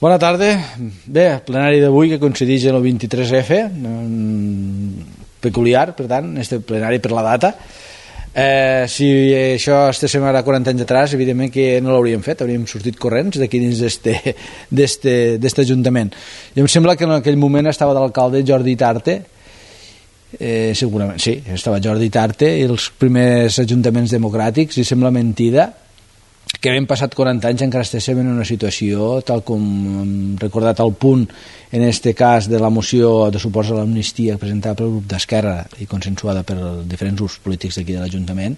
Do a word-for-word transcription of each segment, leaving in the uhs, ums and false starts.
Bona tarda. Bé, el plenari d'avui que coincideix en el vint-i-tres efe, peculiar, per tant, este plenari per la data. Eh, si això estéssim ara quaranta anys atrás, evidentment que no l'hauríem fet, hauríem sortit corrents d'aquí dins d'este Ajuntament. I em sembla que en aquell moment estava d'alcalde Jordi Tarte, eh, segurament, sí, estava Jordi Tarte, i els primers ajuntaments democràtics, i sembla mentida que hem passat quaranta anys encara estéssim en una situació tal com hem recordat al punt en este cas de la moció de suport a l'amnistia presentada pel grup d'Esquerra i consensuada per diferents grups polítics d'aquí de l'Ajuntament,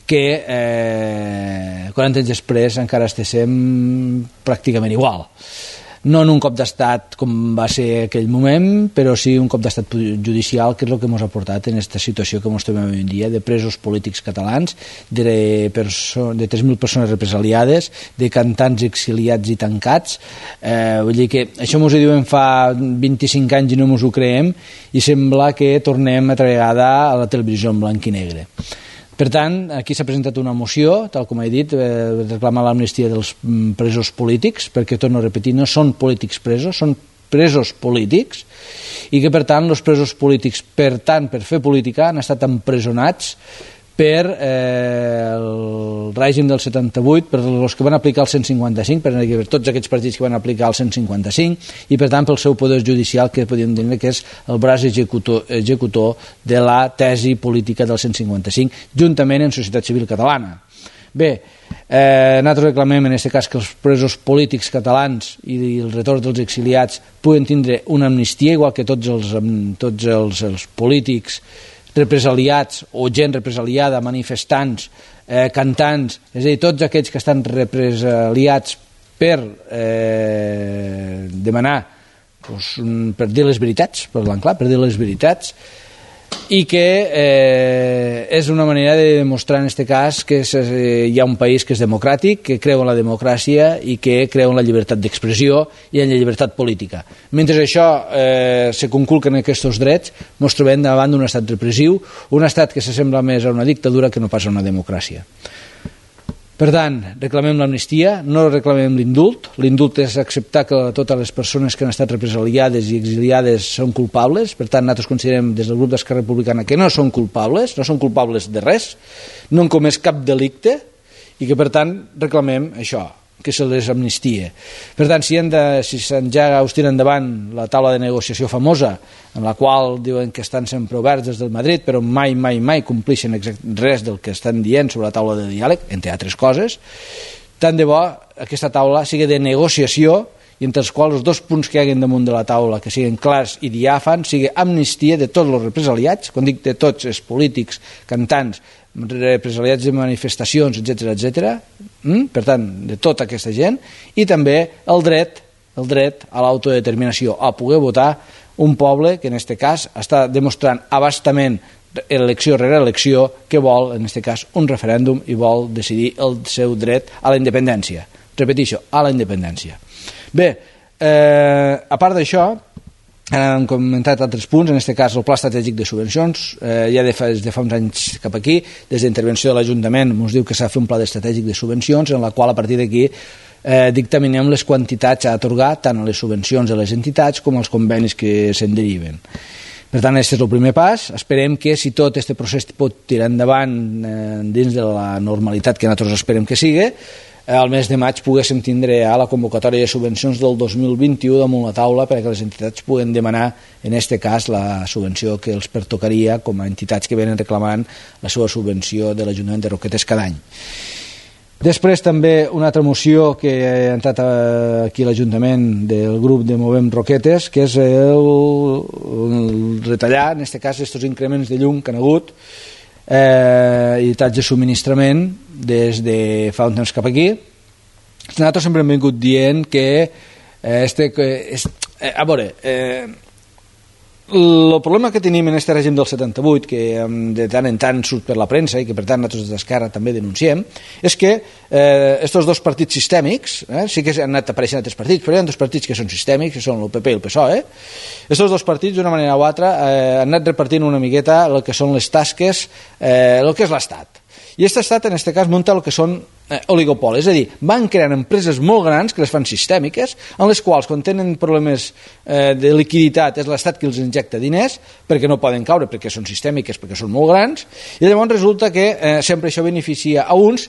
que eh, quaranta anys després encara estéssim pràcticament igual, no en un cop d'estat com va ser aquell moment, però sí un cop d'estat judicial, que és el que ens ha portat en aquesta situació que ens trobem avui en dia, de presos polítics catalans, de, de tres mil persones represaliades, de cantants exiliats i tancats. Eh, vull dir que això ens ho diuen fa vint-i-cinc anys i no ens ho creiem, i sembla que tornem altra vegada a la televisió en blanc i negre. Per tant, aquí s'ha presentat una moció, tal com he dit, eh, reclamar l'amnistia dels presos polítics, perquè, torno a repetir, no són polítics presos, són presos polítics, i que, per tant, els presos polítics, per tant, per fer política, han estat empresonats per eh, el règim del setanta-vuit, per els que van aplicar el cent cinquanta cinc, per tots aquests partits que van aplicar el cent cinquanta cinc, i per tant pel seu poder judicial, que podríem dir que és el braç executor, executor de la tesi política del cent cinquanta cinc, juntament amb Societat Civil Catalana. Bé, eh, nosaltres reclamem en aquest cas que els presos polítics catalans i el retorn dels exiliats puguen tindre una amnistia, igual que tots els, tots els, els polítics represaliats o gent represaliada, manifestants, eh, cantants, és a dir, tots aquells que estan represaliats per eh, demanar, doncs, per dir les veritats, per l'enclar, per dir les veritats, i que eh, és una manera de demostrar en aquest cas que és, eh, hi ha un país que és democràtic, que creu en la democràcia i que creu en la llibertat d'expressió i en la llibertat política. Mentre això eh, se conculquen aquests drets, ens trobem davant d'un estat repressiu, un estat que s'assembla més a una dictadura que no pas a una democràcia. Per tant, reclamem l'amnistia, no reclamem l'indult. L'indult és acceptar que totes les persones que han estat represaliades i exiliades són culpables. Per tant, nosaltres considerem des del grup d'Esquerra Republicana que no són culpables, no són culpables de res, no han comès cap delicte, i que per tant reclamem això, que se les amnistia. Per tant, si, de, si s'enjaga o es tira endavant la taula de negociació famosa, en la qual diuen que estan sempre oberts des del Madrid, però mai, mai, mai compleixen res del que estan dient sobre la taula de diàleg, entre altres coses, tant de bo aquesta taula sigui de negociació, i entre els quals els dos punts que hi hagin damunt de la taula, que siguin clars i diàfans, sigui amnistia de tots els represaliats, quan dic de tots els polítics, cantants, represaliats de manifestacions, etcètera, etcètera, per tant, de tota aquesta gent, i també el dret, el dret a l'autodeterminació, a poder votar un poble que en aquest cas està demostrant abastament elecció rere elecció que vol, en aquest cas, un referèndum i vol decidir el seu dret a la independència. Repeteixo, a la independència. Bé, eh, a part d'això, hem comentat altres punts, en aquest cas el pla estratègic de subvencions, eh, ja de fa, de fa uns anys cap aquí, des d'intervenció de l'Ajuntament ens diu que s'ha de fer un pla estratègic de subvencions en la qual a partir d'aquí eh, dictaminem les quantitats a atorgar tant a les subvencions a les entitats com als convenis que se'n deriven. Per tant, aquest és el primer pas. Esperem que si tot aquest procés pot tirar endavant eh, dins de la normalitat que nosaltres esperem que sigui, al mes de maig poguéssim tindre a la convocatòria de subvencions del dos mil vint-i-u damunt la taula perquè les entitats puguen demanar en aquest cas la subvenció que els pertocaria com a entitats que venen reclamant la seva subvenció de l'Ajuntament de Roquetes cada any. Després també una altra moció que ha entrat aquí a l'Ajuntament del grup de Movem Roquetes, que és el, el retallar en aquest cas aquests increments de llum que han hagut eh, i talls de subministrament des de fa un temps cap aquí. Nosaltres sempre hem vingut dient que eh, este, que és, eh, a veure eh, el problema que tenim en aquest règim del setanta-vuit, que de tant en tant surt per la premsa i que per tant nosaltres d'Esquerra també denunciem, és que eh, estos dos partits sistèmics, eh, sí que han anat apareixent altres partits, però hi ha dos partits que són sistèmics, que són el P P i el P S O E, estos dos partits d'una manera o altra eh, han anat repartint una miqueta el que són les tasques, eh, el que és l'Estat. I aquest estat en aquest cas munta el que són eh, oligopoli, és a dir, van creant empreses molt grans que les fan sistèmiques, en les quals quan tenen problemes eh, de liquiditat és l'Estat qui els injecta diners perquè no poden caure, perquè són sistèmiques, perquè són molt grans, i llavors resulta que eh, sempre això beneficia a uns,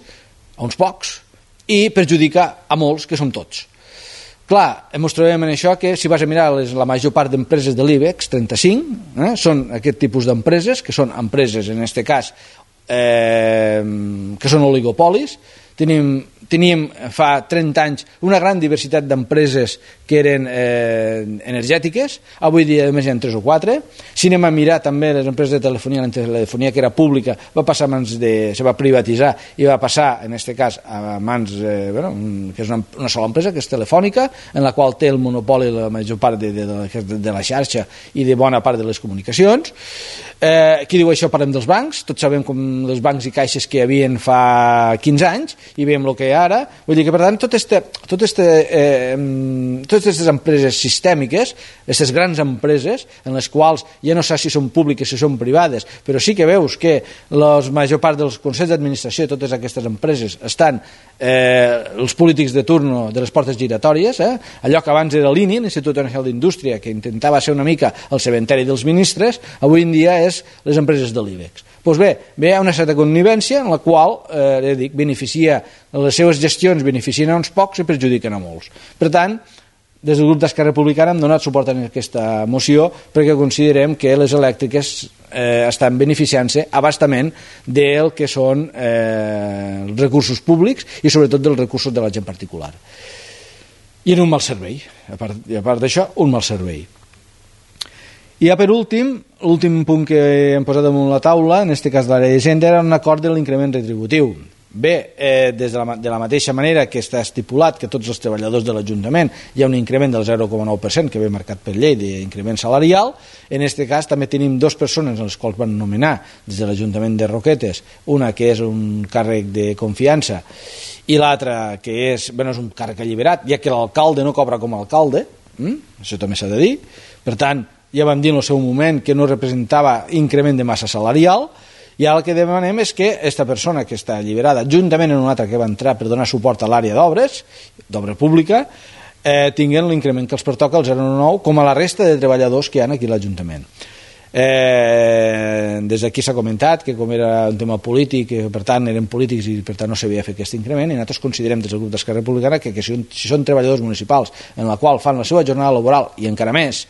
a uns pocs, i perjudica a molts, que som tots. Clar, ens trobem en això que si vas a mirar les, la major part d'empreses de l'IBEX trenta-cinc, eh, són aquest tipus d'empreses, que són empreses, en aquest cas, eh, que són oligopolis. Tenim, teníem fa trenta anys una gran diversitat d'empreses que eren eh, energètiques, avui dia només hi ha tres o quatre. Si anem a mirar també les empreses de telefonia, la telefonia que era pública va passar a mans de, se va privatitzar i va passar en aquest cas a mans eh, bueno, que és una, una sola empresa que és Telefònica, en la qual té el monopoli la major part de, de, de, de la xarxa i de bona part de les comunicacions. Eh, qui diu això? Parlem dels bancs. Tots sabem com els bancs i caixes que hi havien fa quinze anys i veiem el que hi ha ara. Vull dir que, per tant, tot este, tot este, eh, totes aquestes empreses sistèmiques, aquestes grans empreses, en les quals ja no saps si són públiques, si són privades, però sí que veus que la major part dels consells d'administració de totes aquestes empreses estan eh, els polítics de turno de les portes giratòries, eh? Allò que abans era l'I N I, l'Institut Nacional d'Indústria, que intentava ser una mica el cementeri dels ministres, avui en dia és les empreses de l'IBEX. Doncs bé, bé, hi ha una certa connivència en la qual, eh, dic, beneficia, les seves gestions beneficien a uns pocs i perjudiquen a molts. Per tant, des del grup d'Esquerra Republicana hem donat suport a aquesta moció perquè considerem que les elèctriques eh, estan beneficiant-se a bastament del que són eh, els recursos públics i sobretot dels recursos de la gent particular. I en un mal servei, a part, i a part d'això, un mal servei. I ja per últim, l'últim punt que hem posat damunt la taula, en aquest cas de l'àrea d'Hisenda, era un acord de l'increment retributiu. Bé, eh, des de la, de la mateixa manera que està estipulat que tots els treballadors de l'Ajuntament hi ha un increment del zero coma nou per cent que ve marcat per llei d'increment salarial, en aquest cas també tenim dues persones en les quals van nomenar des de l'Ajuntament de Roquetes, una que és un càrrec de confiança i l'altra que és, bueno, és un càrrec alliberat, ja que l'alcalde no cobra com a alcalde, hm? Això també s'ha de dir, per tant, ja vam dir en el seu moment que no representava increment de massa salarial, i ara el que demanem és que aquesta persona que està alliberada, juntament amb una altra que va entrar per donar suport a l'àrea d'obres, d'obra pública, eh, tinguin l'increment que els pertoca al zero coma nou, com a la resta de treballadors que hi ha aquí a l'Ajuntament. Eh, des d'aquí s'ha comentat que com era un tema polític, per tant eren polítics i per tant no s'havia fet aquest increment, i nosaltres considerem des del grup d'Esquerra Republicana que, que si, si són treballadors municipals en la qual fan la seva jornada laboral i encara més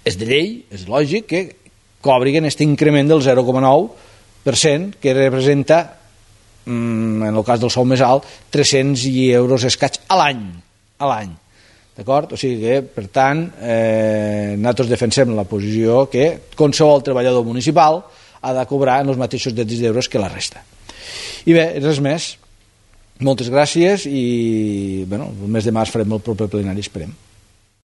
és de llei, és lògic que cobriguen aquest increment del zero coma nou per cent que representa, en el cas del sou més alt, tres-cents euros escaig a l'any, a l'any. D'acord? O sigui que, per tant, eh, nosaltres defensem la posició que qualsevol treballador municipal ha de cobrar en els mateixos drets d'euros que la resta. I bé, res més. Moltes gràcies i, bueno, el mes de març farem el proper plenari, esperem.